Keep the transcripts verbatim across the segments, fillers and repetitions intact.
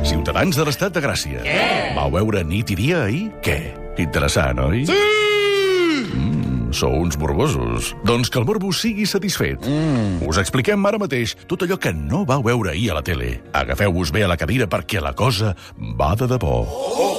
Ciutadans de l'Estat de Gràcia. Què? Vau veure nit i dia ahir? Què? Interessant, oi? Sí! Mm, sou uns morbosos. Doncs que el morbo sigui satisfet. Mm. Us expliquem ara mateix tot allò que no vau veure ahir a la tele. Agafeu-vos bé a la cadira perquè la cosa va de debò. Oh!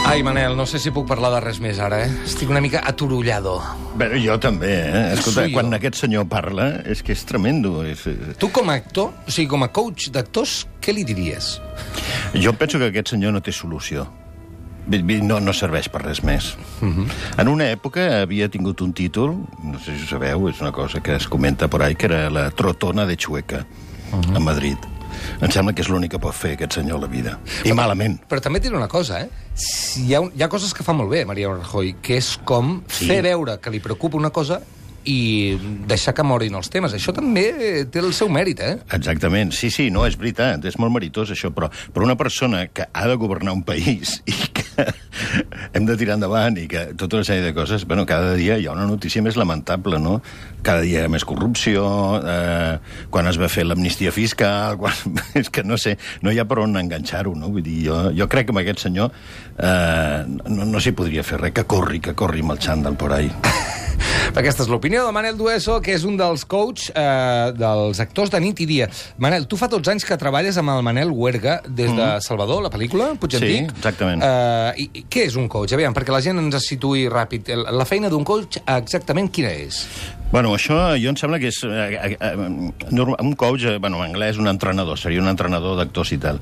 Ai, Manel, no sé si puc parlar de res més ara, eh? Estic una mica aturullado. Bé, jo també, eh? Escolta, Soy quan jo. aquest senyor parla, és que és tremendo. És... Tu, com a actor, o sigui, com a coach d'actors, què li diries? Jo penso que aquest senyor no té solució. No, no serveix per res més. Uh-huh. En una època havia tingut un títol, no sé si ho sabeu, és una cosa que es comenta por ahí, que era la Trotona de Chueca, uh-huh. a Madrid. Em sembla que és l'únic que pot fer aquest senyor a la vida. I però, malament. Però també et diré una cosa, eh? Si hi, ha, hi ha coses que fa molt bé, Mariano Rajoy, que és com sí. fer veure que li preocupa una cosa i deixar que morin els temes. Això també té el seu mèrit, eh? Exactament. Sí, sí, no, és veritat. És molt meritós, això. Però per una persona que ha de governar un país i que hem de tirar endavant i que tota una sèrie de coses... Bueno, cada dia hi ha una notícia més lamentable, no? Cada dia hi ha més corrupció, eh, quan es va fer l'amnistia fiscal... Quan... És que no sé, no hi ha per on enganxar-ho, no? Vull dir, jo, jo crec que amb aquest senyor eh, no, no s'hi podria fer res. Que corri, que corri amb el xandall por ahí. Aquesta és l'opinió de Manel Dueso, que és un dels coach eh, dels actors de nit i dia. Manel, tu fa dotze anys que treballes amb el Manel Huerga des de mm. Salvador, la pel·lícula, potser sí, et dic. Sí, exactament. Eh, i, i què és un coach? Aviam, perquè la gent ens situï ràpid. La feina d'un coach, exactament quina és? Bueno, això jo em sembla que és... Eh, eh, un coach, eh, bueno, en anglès, un entrenador, seria un entrenador d'actors i tal.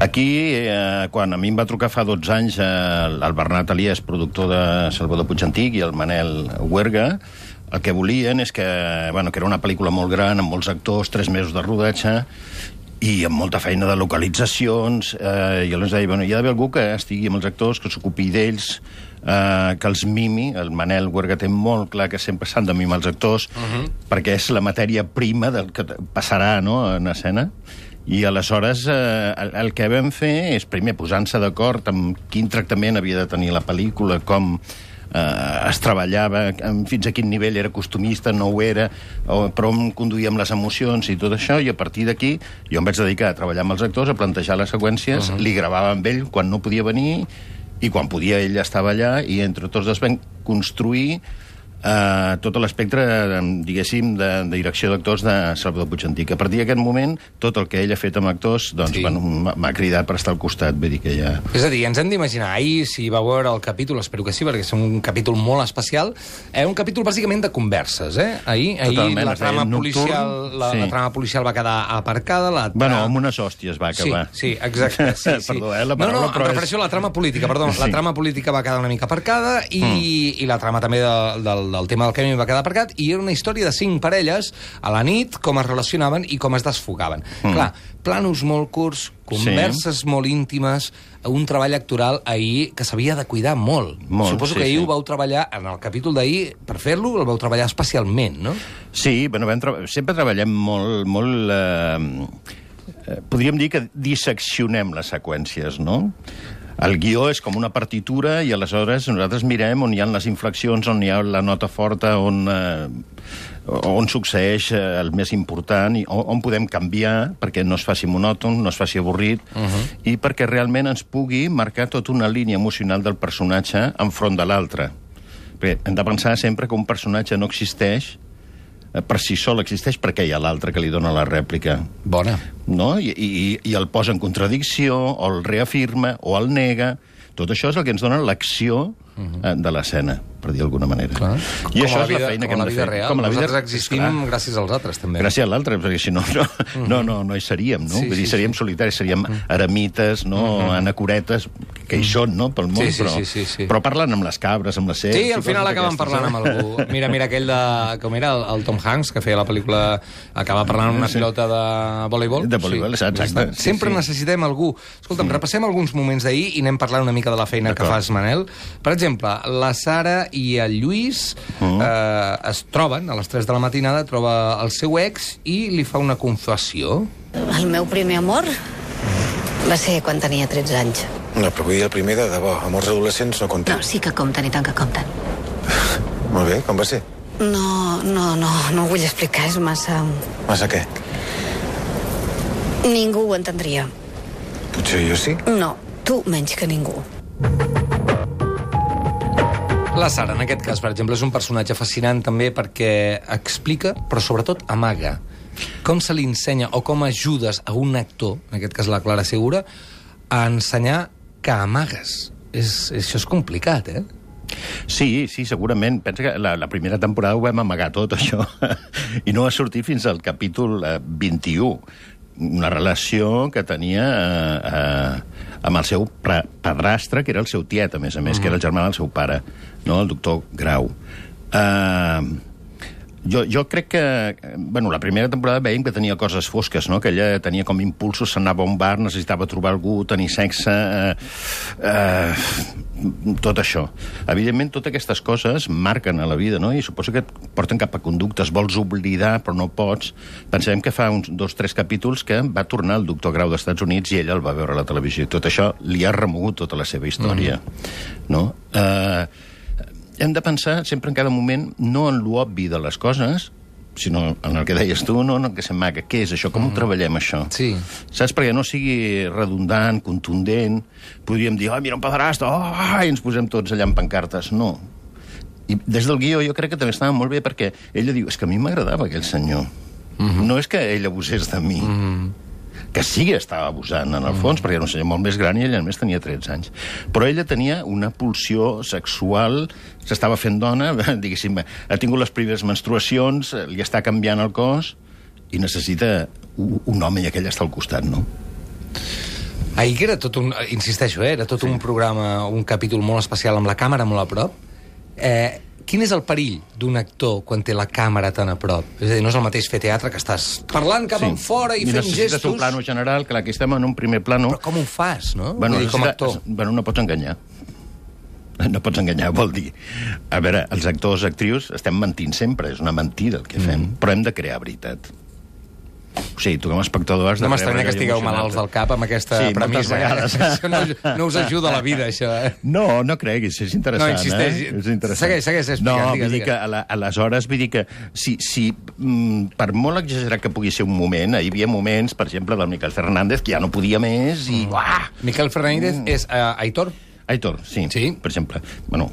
Aquí, eh, quan a mi em va trucar fa dotze anys eh, el Bernat Elias, productor de Salvador Puig Antich, i el Manel Huerga, el que volien és que, bueno, que era una pel·lícula molt gran, amb molts actors, tres mesos de rodatge, i amb molta feina de localitzacions, eh, i aleshores deia, bueno, hi ha d'haver algú que estigui amb els actors, que s'ocupi d'ells, eh, que els mimi. El Manel Huerga té molt clar que sempre s'han de mimar els actors, uh-huh. perquè és la matèria prima del que passarà, no?, en escena. I aleshores eh, el, el que vam fer és, primer, posant-se d'acord amb quin tractament havia de tenir la pel·lícula, com eh, es treballava, fins a quin nivell era costumista, no ho era, o, però on conduïem les emocions i tot això, i a partir d'aquí jo em vaig dedicar a treballar amb els actors, a plantejar les seqüències, uh-huh. li gravava amb ell quan no podia venir, i quan podia ell estava allà, i entre tots dos vam construir Uh, tot l'espectre, diguéssim, de, de direcció d'actors de Salvador Puig Antich. A partir d'aquest moment, tot el que ell ha fet amb actors, doncs, sí. bueno, m'ha cridat per estar al costat, vull dir que ja... És a dir, ens hem d'imaginar, ahir, si va veure el capítol, espero que sí, perquè és un capítol molt especial, eh, un capítol bàsicament de converses, eh? Ahir, ahir la, trama policial, la, sí. la trama policial va quedar aparcada, la tra... Bueno, amb unes hòsties va acabar. Sí, sí, exacte. Sí, sí. Perdó, eh, la paraula, no, no, em refereixo a la trama política, perdó. Sí. La trama política va quedar una mica aparcada i, mm. i la trama també de, del del tema del Kemi va quedar aparcat, i era una història de cinc parelles a la nit, com es relacionaven i com es desfogaven. Mm. Clar, planos molt curts, converses sí. molt íntimes, un treball actoral ahir que s'havia de cuidar molt. molt Suposo sí, que ahir sí. ho vau treballar, en el capítol d'ahir, per fer-lo, el vau treballar especialment, no? Sí, bueno, vam tra... sempre treballem molt... molt eh... podríem dir que disseccionem les seqüències, no? El guió és com una partitura i aleshores nosaltres mirem on hi ha les inflexions, on hi ha la nota forta, on, eh, on succeeix el més important i on, on podem canviar perquè no es faci monòton, no es faci avorrit uh-huh. i perquè realment ens pugui marcar tota una línia emocional del personatge enfront de l'altre. Perquè hem de pensar sempre que un personatge no existeix per si sol, existeix perquè hi ha l'altre que li dona la rèplica. Bona. No? I, i, i el posa en contradicció, o el reafirma, o el nega. Tot això és el que ens dona l'acció uh-huh. de l'escena, per dir d'alguna manera. Clar. I com això vida, és la feina que hem de fer. Real. Com a la vida real. Nosaltres existim esclar. gràcies als altres, també. Gràcies a l'altre, perquè si no, no, uh-huh. no, no, no hi seríem, no? Sí, Vull dir, sí, seríem sí. solitaris, seríem uh-huh. eremites, no? Uh-huh. anacoretes, que hi són, no?, pel món, sí, sí, però, sí, sí, sí. però parlen amb les cabres, amb les serps... Sí, al final acaben parlant amb algú. Mira, mira, aquell de... com era? El, el Tom Hanks, que feia la pel·lícula... acaba parlant amb una sí. pilota de voleibol. De voleibol, sí. exacte. Sí, Sempre sí. necessitem algú. Escolta'm, sí. repassem alguns moments d'ahir i anem parlant una mica de la feina que fas, Manel. Per exemple, la Sara i el Lluís uh-huh. eh, es troben a les tres de la matinada, troba el seu ex i li fa una confessió. El meu primer amor va ser quan tenia tretze anys. No, però vull dir el primer de debò. Amors adolescents no compten. No, sí que compten, i tant que compten. Molt bé, com va ser? No, no, no, no ho vull explicar, és massa... Massa què? Ningú ho entendria. Potser jo sí? No, tu menys que ningú. La Sara, en aquest cas, per exemple, és un personatge fascinant també perquè explica, però sobretot amaga. Com se li ensenya o com ajudes a un actor, en aquest cas la Clara Segura, a ensenyar que amagues. És, això és complicat, eh? Sí, sí, segurament. Pensa que la, la primera temporada ho vam amagar tot, això, i no va sortir fins al capítol eh, vint-i-u. Una relació que tenia eh, eh, amb el seu padrastre, que era el seu tiet, a més a més, mm. que era el germà del seu pare, no? El doctor Grau. Eh... Jo, jo crec que... Bueno, la primera temporada veiem que tenia coses fosques, no? Que ella tenia com impulsos, s'anava a un bar, necessitava trobar algú, tenir sexe... Eh, eh, tot això. Evidentment, totes aquestes coses marquen a la vida, no? I suposo que et porten cap a conductes. Vols oblidar, però no pots. Pensem que fa uns dos, tres capítols que va tornar el doctor Grau dels Estats Units i ella el va veure a la televisió. I tot això li ha remogut tota la seva història, mm. no? Eh... Hem de pensar sempre en cada moment no en l'obvi de les coses, sinó en el que deies tu, no en el que s'amaga. Què és això? Com mm. ho treballem, això? Sí. Saps? Perquè no sigui redundant, contundent. Podríem dir, oh, mira un pedrasto, oh, i ens posem tots allà en pancartes. No. I des del guió jo crec que també estava molt bé perquè ella diu, és que a mi m'agradava aquell senyor. Mm -hmm. No és que ell abusés de mi. Mm -hmm. Que sí que estava abusant, en el fons, mm. perquè era un senyor molt més gran i ella només tenia tretze anys. Però ella tenia una pulsió sexual, s'estava fent dona, diguéssim, ha tingut les primeres menstruacions, li està canviant el cos, i necessita un, un home i aquell està al costat, no? Ahir que era tot un... Insisteixo, eh? Era tot sí. un programa, un capítol molt especial amb la càmera molt a prop. Eh... Quin és el perill d'un actor quan té la càmera tan a prop? És a dir, no és el mateix fer teatre que estàs parlant cap sí. enfora i, I fent gestos... I necessites un plano general, que aquí estem en un primer plano... Però com ho fas, no? Bueno, Vull dir, com a actor. Bueno, no pots enganyar. No pots enganyar, vol dir... A veure, els actors, actrius, estem mentint sempre, és una mentida el que fem, mm. però hem de crear veritat. O sigui, tu com a espectador has de... No m'estranya que estigueu malalts del cap amb aquesta sí, premissa. Això no, no us ajuda a la vida, això, eh? No, no creguis, és interessant, no, insisteix. eh? És interessant. Segueix, segueix explicant. No, digues, vull dir que, a la, aleshores, vull dir que si, si mm, per molt exagerat que pugui ser un moment, hi havia moments, per exemple, del Miquel Fernández, que ja no podia més i... Mm. Miquel Fernández mm. és uh, Aitor? Aitor, sí, sí, per exemple. Bueno,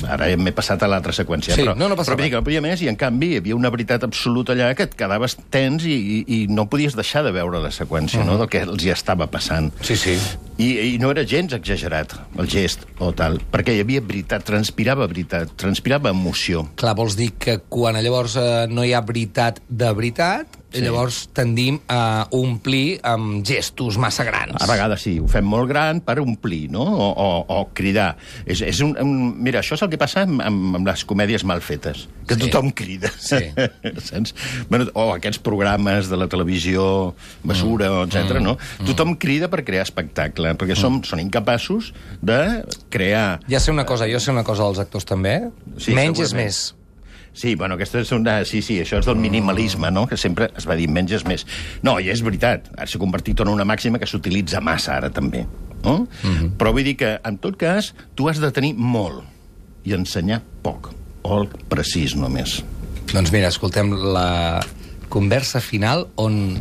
ara m'he passat a l'altra seqüència. Sí, però, no, no passa però que no podia més, i en canvi hi havia una veritat absoluta allà que et quedaves tens i, i, i no podies deixar de veure la seqüència, uh -huh. no?, del que els hi estava passant. Sí, sí. I, I no era gens exagerat, el gest o tal, perquè hi havia veritat, transpirava veritat, transpirava emoció. Clar, vols dir que quan llavors eh, no hi ha veritat de veritat, sí. llavors tendim a omplir amb gestos massa grans. A vegades sí, ho fem molt gran per omplir, no?, o, o, o cridar. És, és un, un, mira, això és el que passa amb, amb, amb les comèdies mal fetes, que sí. tothom crida. Sí. Saps? Bueno, o aquests programes de la televisió, basura, mm. etcètera, mm. no? Mm. Tothom crida per crear espectacle, perquè som, mm. són incapaços de crear... Ja sé una cosa, jo sé una cosa dels actors també, sí, menys és més. Sí, bueno, aquesta és una... Sí, sí, això és del minimalisme, no?, que sempre es va dir menys és més. No, i és veritat, ara s'ha convertit en una màxima que s'utilitza massa ara també, no? Mm-hmm. Però vull dir que, en tot cas, tu has de tenir molt i ensenyar poc, o el precís només. Doncs mira, escoltem la conversa final on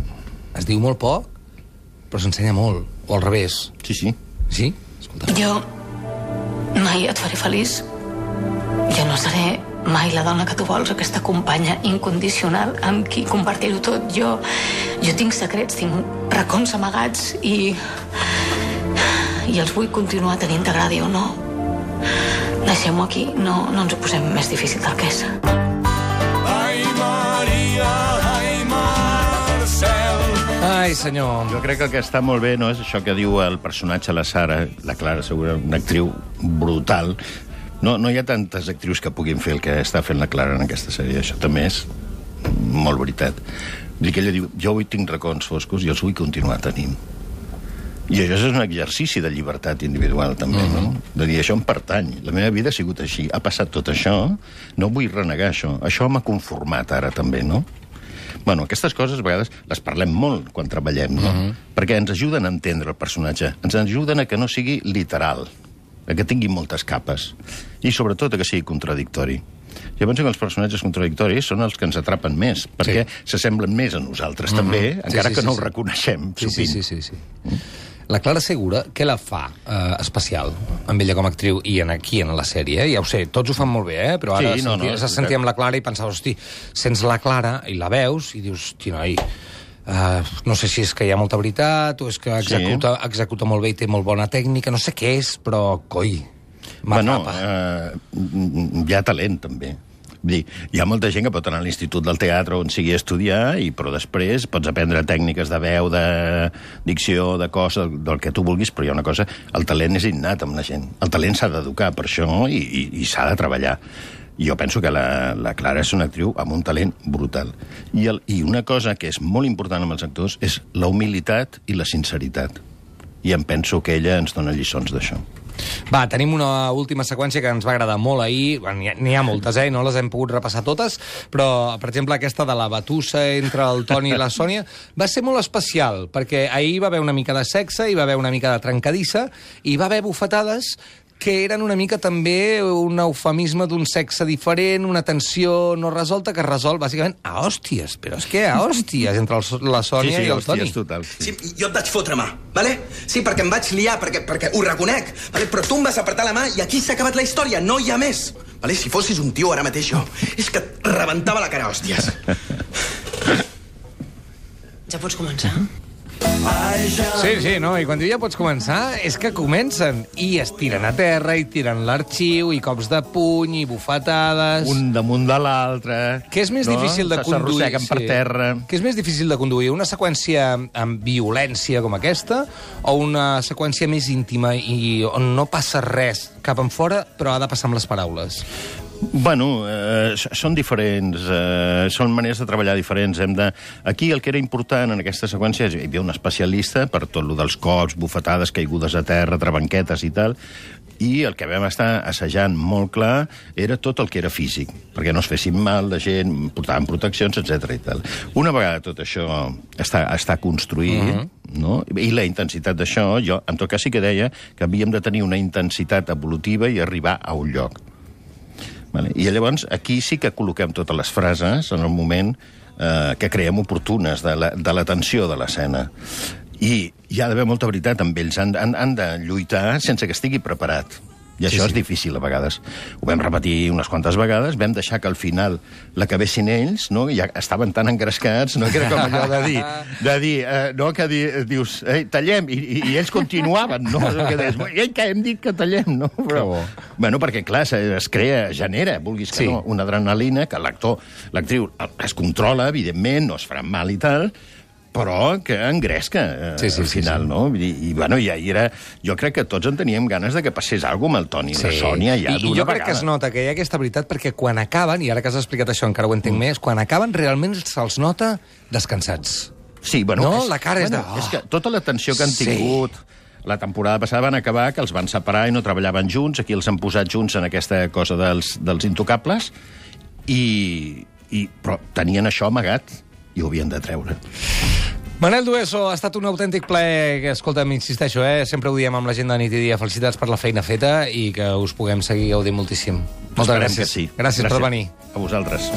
es diu molt poc, però s'ensenya molt, o al revés. Sí, sí. Sí? Escolta. Jo mai et faré feliç. Jo no seré mai la dona que tu vols, aquesta companya incondicional amb qui compartir-ho tot. Jo, jo tinc secrets, tinc racons amagats i... i els vull continuar tenint, t'agradi o no. Deixem-ho aquí, no, no ens ho posem més difícil del que és. Ai, Maria, ai, Marcel. Ai, senyor. Jo crec que el que està molt bé no és això que diu el personatge, la Sara, la Clara, segurament una actriu brutal. No, no hi ha tantes actrius que puguin fer el que està fent la Clara en aquesta sèrie. Això també és molt veritat. Vull dir que ella diu, jo avui tinc racons foscos i els vull continuar tenint. I això és un exercici de llibertat individual, també, mm-hmm. no? De dir, això em pertany. La meva vida ha sigut així. Ha passat tot això, no vull renegar això. Això m'ha conformat ara, també, no? Bueno, aquestes coses a vegades les parlem molt quan treballem, no? Mm-hmm. Perquè ens ajuden a entendre el personatge. Ens ajuden a que no sigui literal. que tingui moltes capes, i sobretot que sigui contradictori. Jo penso que els personatges contradictoris són els que ens atrapen més, perquè s'assemblen més a nosaltres, mm-hmm. també, sí, encara sí, que sí, no sí. ho reconeixem, sí, sovint. Sí, sí, sí. sí. La Clara Segura, què la fa eh, especial amb ella com a actriu i en aquí en la sèrie? Ja ho sé, tots ho fan molt bé, eh? Però ara sí, no, sentia, no, sentia amb la Clara i pensava, hosti, sents la Clara i la veus i dius, hosti, noi, uh, no sé si és que hi ha molta veritat o és que executa, sí. executa molt bé i té molt bona tècnica, no sé què és, però, coi, m'atrapa. Bueno, eh, hi ha talent, també. Vull dir, hi ha molta gent que pot anar a l'Institut del Teatre on sigui a estudiar, i, però després pots aprendre tècniques de veu, de dicció, de cos, del, del que tu vulguis, però hi ha una cosa, el talent és innat amb la gent. El talent s'ha d'educar per això i, i, i s'ha de treballar. Jo penso que la, la Clara és una actriu amb un talent brutal. I, el, I una cosa que és molt important amb els actors és la humilitat i la sinceritat. I em penso que ella ens dona lliçons d'això. Va, tenim una última seqüència que ens va agradar molt ahir. N'hi ha, n'hi ha moltes, eh? No les hem pogut repassar totes, però, per exemple, aquesta de la batussa entre el Toni i la Sònia va ser molt especial, perquè ahir hi va haver una mica de sexe, hi va haver una mica de trencadissa, i hi va haver bufetades que eren una mica també un eufemisme d'un sexe diferent, una tensió no resolta que es resol bàsicament a hòsties, però és que a hòsties entre el, la Sònia sí, sí, i el Toni. Sí, total. Sí. Sí, jo et vaig fotre mà, vale? Sí, perquè em vaig liar, perquè, perquè ho reconec, vale? Però tu em vas apretar la mà i aquí s'ha acabat la història, no hi ha més. Vale? Si fossis un tio ara mateix jo, és que et rebentava la cara, hòsties. Ja pots començar? Sí, sí, no? I quan diu ja pots començar, és que comencen. I es tiren a terra, i tiren l'arxiu, i cops de puny, i bufetades... Un damunt de l'altre... Què és més no? difícil de conduir? S'arrosseguen per terra... Què és més difícil de conduir? Una seqüència amb violència com aquesta o una seqüència més íntima i on no passa res cap en fora, però ha de passar amb les paraules? Bueno, eh, són diferents, eh, són maneres de treballar diferents. Hem de... Aquí el que era important en aquesta seqüència és hi havia un especialista per tot lo dels cops, bufetades, caigudes a terra, trabanquetes i tal, i el que vam estar assajant molt clar era tot el que era físic, perquè no es fessin mal la gent, portaven proteccions, etcètera i tal. Una vegada tot això està, està construït, uh-huh. no? I la intensitat d'això, jo en tot cas sí que deia que havíem de tenir una intensitat evolutiva i arribar a un lloc. Vale. I llavors aquí sí que col·loquem totes les frases en el moment eh, que creiem oportunes de la, de la tensió de l'escena. I hi ha d'haver molta veritat amb ells. Han, han, han de lluitar sense que estigui preparat. I això sí, sí. és difícil a vegades. Ho vam repetir unes quantes vegades, vam deixar que al final l'acabessin ells, no? I ja estaven tan engrescats, no? Que era com allò de dir, de dir eh, no? Que di, dius, eh, tallem, I, i, i ells continuaven, no? Que deies, ei, que hem dit que tallem, no? Però, bueno, perquè, clar, es crea, genera, vulguis que sí. no, una adrenalina que l'actor, l'actriu es controla, evidentment, no es faran mal i tal, però que engresca eh, sí, sí, al final, sí, sí. no? I, i, bueno, i ahir era... Jo crec que tots en teníem ganes de que passés alguna cosa amb el Toni i sí. la Sònia ja I, d'una I jo crec vegada. que es nota que hi ha aquesta veritat perquè quan acaben, i ara que has explicat això encara ho entenc mm. més, quan acaben realment se'ls nota descansats. Sí, bueno... No? És, La cara és bueno, de... Oh, és que tota la tensió que han sí. tingut... La temporada passada van acabar que els van separar i no treballaven junts, aquí els han posat junts en aquesta cosa dels, dels intocables, i, i, però tenien això amagat i ho havien de treure. Manel Dueso, ha estat un autèntic plaer, que, escolta, insisteixo, eh? Sempre ho diem amb la gent de nit i dia. Felicitats per la feina feta i que us puguem seguir gaudint moltíssim. Moltes Esperem gràcies. que sí. Gràcies, gràcies per venir. A vosaltres.